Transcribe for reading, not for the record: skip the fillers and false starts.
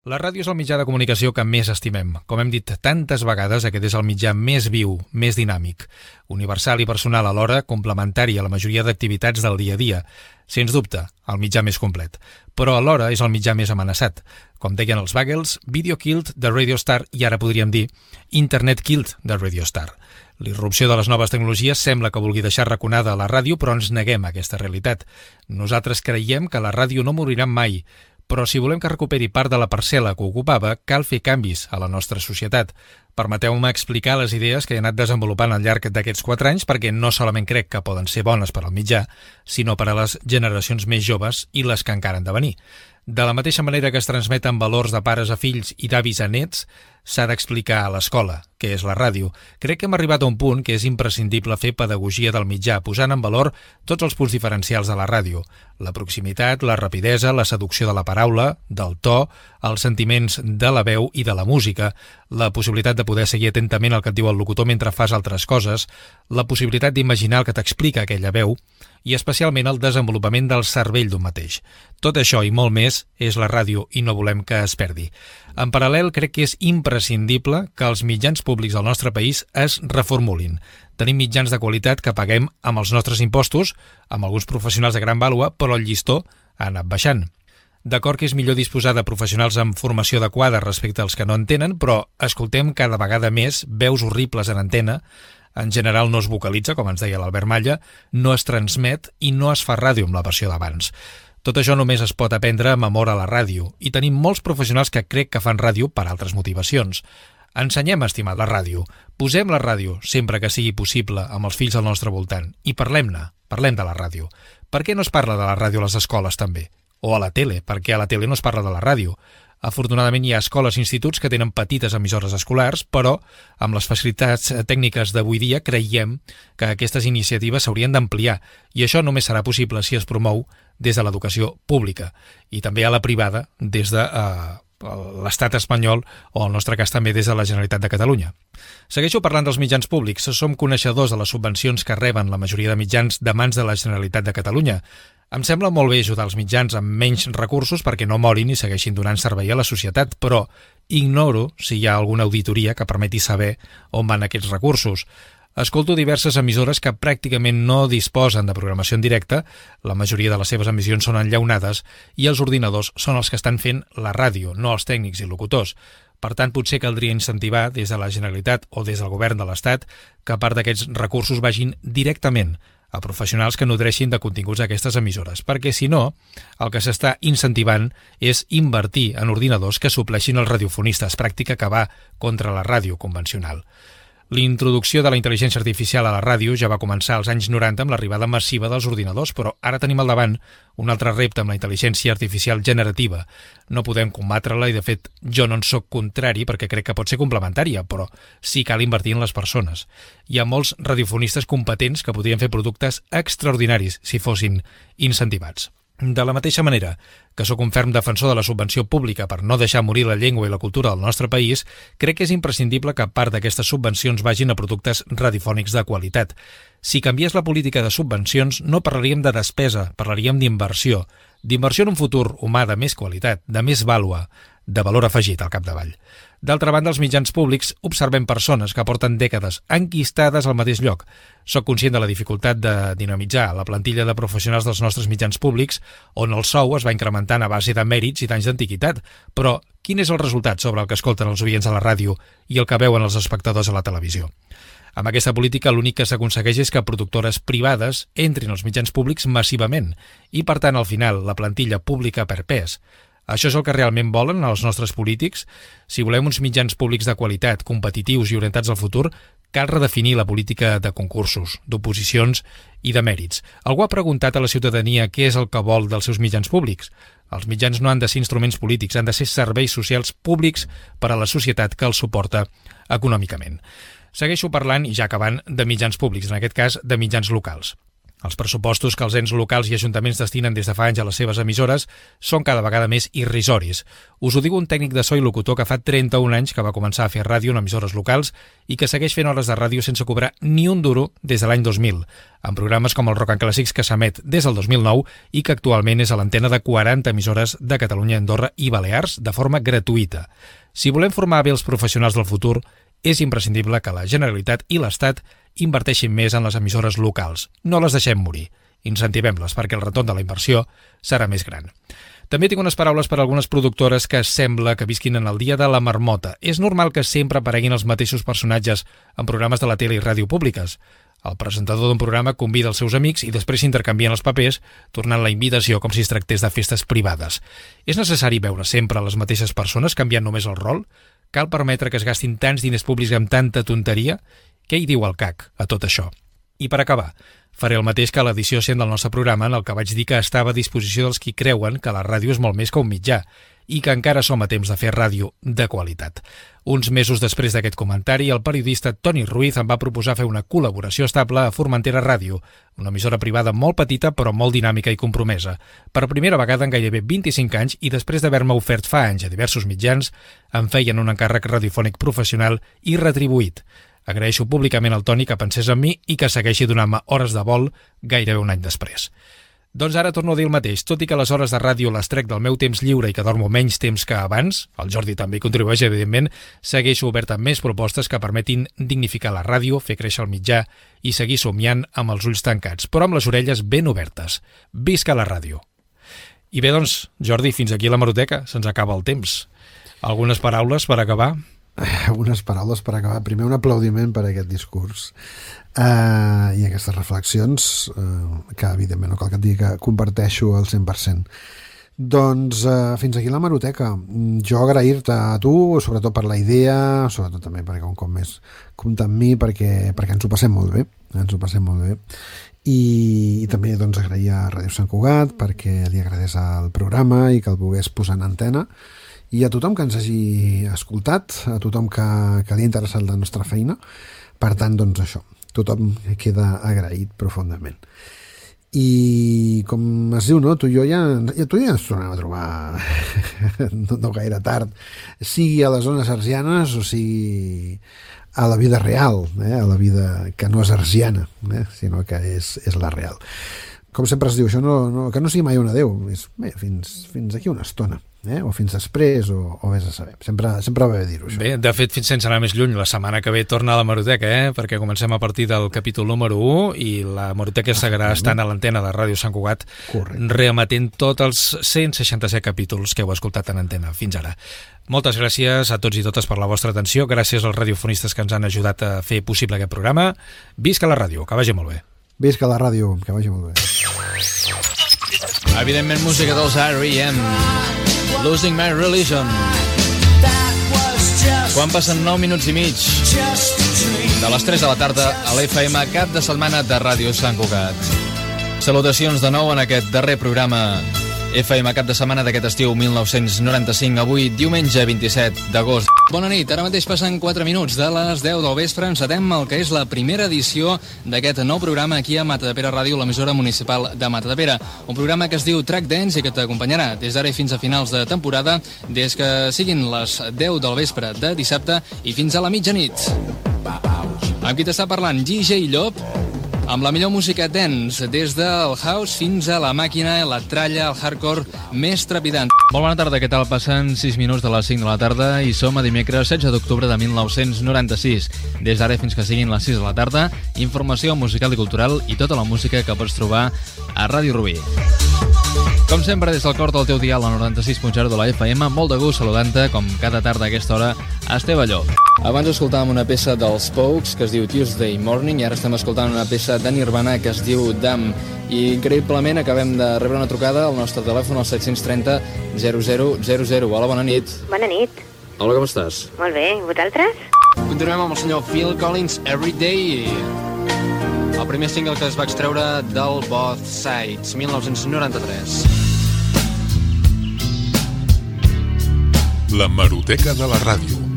La ràdio és el mitjà de comunicació que més estimem. Com hem dit tantes vegades, aquest és el mitjà més viu, més dinàmic, universal i personal alhora, complementari a la majoria d'activitats del dia a dia. Sens dubte, el mitjà més complet. Però alhora és el mitjà més amenaçat. Com deien els Bagels, Video Killed de Radio Star i ara podríem dir Internet Killed de Radio Star. L'irrupció de les noves tecnologies sembla que vulgui deixar raconada a la ràdio, però ens neguem a aquesta realitat. Nosaltres creiem que la ràdio no morirà mai, però si volem que recuperi part de la parcel·la que ocupava, cal fer canvis a la nostra societat. Permeteu-me explicar les idees que he anat desenvolupant al llarg d'aquests 4 anys perquè no solament crec que poden ser bones per al mitjà, sinó per a les generacions més joves i les que encara han de venir. De la mateixa manera que es transmeten valors de pares a fills i d'avis a nets, s'ha d'explicar a l'escola, que és la ràdio. Crec que hem arribat a un punt que és imprescindible fer pedagogia del mitjà, posant en valor tots els punts diferencials de la ràdio. La proximitat, la rapidesa, la seducció de la paraula, del to, els sentiments de la veu i de la música, la possibilitat de poder seguir atentament el que et diu el locutor mentre fas altres coses, la possibilitat d'imaginar el que t'explica aquella veu i especialment el desenvolupament del cervell d'un mateix. Tot això i molt més és la ràdio i no volem que es perdi. En paral·lel, crec que és imprescindible que els mitjans públics del nostre país es reformulin. Tenim mitjans de qualitat que paguem amb els nostres impostos, amb alguns professionals de gran vàlua, però el llistó ha anat baixant. D'acord que és millor disposar de professionals amb formació adequada respecte als que no en tenen, però escoltem cada vegada més veus horribles en antena. En general no es vocalitza, com ens deia l'Albert Malla, no es transmet i no es fa ràdio amb la versió d'abans. Tot això només es pot aprendre amb amor a la ràdio i tenim molts professionals que crec que fan ràdio per altres motivacions. Ensenyem a estimar la ràdio, posem la ràdio sempre que sigui possible amb els fills al nostre voltant i parlem-ne, parlem de la ràdio. Per què no es parla de la ràdio a les escoles també? O a la tele, perquè a la tele no es parla de la ràdio. Afortunadament hi ha escoles i instituts que tenen petites emissores escolars, però amb les facilitats tècniques d'avui dia creiem que aquestes iniciatives s'haurien d'ampliar i això només serà possible si es promou des de l'educació pública i també a la privada des de l'estat espanyol o en el nostre cas també des de la Generalitat de Catalunya. Segueixo parlant dels mitjans públics. Som coneixedors de les subvencions que reben la majoria de mitjans de mans de la Generalitat de Catalunya. Em sembla molt bé ajudar els mitjans amb menys recursos perquè no morin i segueixin donant servei a la societat, però ignoro si hi ha alguna auditoria que permeti saber on van aquests recursos. Escolto diverses emissores que pràcticament no disposen de programació en directe, la majoria de les seves emissions són enllaunades i els ordinadors són els que estan fent la ràdio, no els tècnics i locutors. Per tant, potser caldria incentivar des de la Generalitat o des del govern de l'Estat que part d'aquests recursos vagin directament a professionals que nodreixin de continguts aquestes emissores, perquè si no, el que s'està incentivant és invertir en ordinadors que supleixin els radiofonistes, pràctica que va contra la ràdio convencional. L'introducció de la intel·ligència artificial a la ràdio ja va començar als anys 90 amb l'arribada massiva dels ordinadors, però ara tenim al davant un altre repte amb la intel·ligència artificial generativa. No podem combatre-la i, de fet, jo no en soc contrari perquè crec que pot ser complementària, però sí cal invertir en les persones. Hi ha molts radiofonistes competents que podrien fer productes extraordinaris si fossin incentivats. De la mateixa manera que sóc un ferm defensor de la subvenció pública per no deixar morir la llengua i la cultura del nostre país, crec que és imprescindible que part d'aquestes subvencions vagin a productes radiofònics de qualitat. Si canviés la política de subvencions, no parlaríem de despesa, parlaríem d'inversió. D'inversió en un futur humà de més qualitat, de més vàlua, de valor afegit al capdavall. D'altra banda, els mitjans públics observem persones que porten dècades enquistades al mateix lloc. Soc conscient de la dificultat de dinamitzar la plantilla de professionals dels nostres mitjans públics, on el sou es va incrementant a base de mèrits i d'anys d'antiguitat. Però quin és el resultat sobre el que escolten els oients a la ràdio i el que veuen els espectadors a la televisió? Amb aquesta política l'únic que s'aconsegueix és que productores privades entrin als mitjans públics massivament i, per tant, al final, la plantilla pública per pes. Això és el que realment volen els nostres polítics? Si volem uns mitjans públics de qualitat, competitius i orientats al futur, cal redefinir la política de concursos, d'oposicions i de mèrits. Algú ha preguntat a la ciutadania què és el que vol dels seus mitjans públics. Els mitjans no han de ser instruments polítics, han de ser serveis socials públics per a la societat que els suporta econòmicament. Segueixo parlant, i ja acabant, de mitjans públics, en aquest cas de mitjans locals. Els pressupostos que els ens locals i ajuntaments destinen des de fa anys a les seves emissores són cada vegada més irrisoris. Us ho diu un tècnic de so i locutor que fa 31 anys que va començar a fer ràdio en emissores locals i que segueix fent hores de ràdio sense cobrar ni un duro des de l'any 2000, amb programes com el Rock and Clàssics que s'emet des del 2009 i que actualment és a l'antena de 40 emissores de Catalunya, Andorra i Balears de forma gratuïta. Si volem formar bé els professionals del futur, és imprescindible que la Generalitat i l'Estat inverteixin més en les emissores locals. No les deixem morir. Incentivem-les perquè el retorn de la inversió serà més gran. També tinc unes paraules per a algunes productores que sembla que visquin en el dia de la marmota. És normal que sempre apareguin els mateixos personatges en programes de la tele i ràdio públiques. El presentador d'un programa convida els seus amics i després s'intercanvien els papers, tornant la invitació com si es tractés de festes privades. És necessari veure sempre les mateixes persones canviant només el rol? Cal permetre que es gastin tants diners públics amb tanta tonteria? Què hi diu el CAC a tot això? I per acabar, faré el mateix que a l'edició 100 del nostre programa, en el que vaig dir que estava a disposició dels qui creuen que la ràdio és molt més que un mitjà i que encara som a temps de fer ràdio de qualitat. Uns mesos després d'aquest comentari, el periodista Toni Ruiz em va proposar fer una col·laboració estable a Formentera Ràdio, una emissora privada molt petita però molt dinàmica i compromesa. Per primera vegada en gairebé 25 anys i després d'haver-me ofert fa anys a diversos mitjans, em feien un encàrrec radiofònic professional i retribuït. Agraeixo públicament al Toni que pensés en mi i que segueixi donant-me hores de vol gairebé un any després. Doncs ara torno a dir el mateix, tot i que les hores de ràdio les trec del meu temps lliure i que dormo menys temps que abans, el Jordi també hi contribueix, evidentment, segueixo obert amb més propostes que permetin dignificar la ràdio, fer créixer el mitjà i seguir somiant amb els ulls tancats, però amb les orelles ben obertes. Visca la ràdio! I bé, doncs, Jordi, fins aquí la Hemeroteca, se'ns acaba el temps. Algunes paraules per acabar? Unes paraules per acabar. Primer, un aplaudiment per aquest discurs i aquestes reflexions que evidentment no cal que et digui que comparteixo al 100%. Doncs fins aquí la Hemeroteca. Jo agrair-te a tu, sobretot per la idea, sobretot també perquè un cop més compta amb mi perquè ens ho passem molt bé, i també doncs agrair a Ràdio Sant Cugat perquè li agradés el programa i que el volgués posar en antena, i a tothom que ens hagi escoltat, a tothom que li ha interessat la nostra feina. Per tant, doncs això, tothom queda agraït profundament. I com es diu, no? Tu i jo ja ens tornem a trobar no gaire tard, sigui a les zones arsianes o sigui a la vida real, a la vida que no és arsiana, sinó que és la real. Com sempre es diu, això que no sigui mai un adeu, és bé, fins aquí una estona. O fins després, o vés a saber. Sempre va bé dir-ho, això. Bé, de fet, fins sense anar més lluny, la setmana que ve torna a la Hemeroteca, perquè comencem a partir del capítol número 1 i la Hemeroteca seguirà estant a l'antena de Ràdio Sant Cugat, reemetent tots els 167 capítols que heu escoltat en antena fins ara. Moltes gràcies a tots i totes per la vostra atenció, gràcies als radiofonistes que ens han ajudat a fer possible aquest programa. Visca la ràdio, que vagi molt bé. Visca la ràdio, que vagi molt bé. Evidentment, música dels R.E.M. Losing My Religion. Quan passen 9 minuts i mig de les 3 de la tarda a l'FM, cap de setmana de Ràdio Sant Cugat. Salutacions de nou en aquest darrer programa FM cap de setmana d'aquest estiu 1995, avui diumenge 27 d'agost. Bona nit, ara mateix passen 4 minuts de les 10 del vespre, encetem el que és la primera edició d'aquest nou programa aquí a Matadepera Ràdio, l'emissora municipal de Matadepera. Un programa que es diu Track Dance i que t'acompanyarà des d'ara i fins a finals de temporada, des que siguin les 10 del vespre de dissabte i fins a la mitjanit. Amb qui t'està parlant, DJ Llop, amb la millor música dance, des del house fins a la màquina, la tralla, el hardcore més trepidant. Molt bona tarda, què tal? Passen 6 minuts de les 5 de la tarda i som a dimecres 16 d'octubre de 1996. Des d'ara fins que siguin les 6 de la tarda, informació musical i cultural i tota la música que pots trobar a Ràdio Rubí. Com sempre, des del cor del teu dial, a 96.0 de la FM, molt de gust saludant-te, com cada tarda a aquesta hora, a Esteve Llop. Abans escoltàvem una peça dels Pokes que es diu Tuesday Morning i ara estem escoltant una peça de Nirvana que es diu Damn. I increïblement acabem de rebre una trucada al nostre telèfon al 730 0000. Hola, bona nit. Bona nit. Hola, com estàs? Molt bé, i vosaltres? Continuem amb el senyor Phil Collins, Everyday. El primer single que es va extreure del Both Sides, 1993. La Hemeroteca de la ràdio.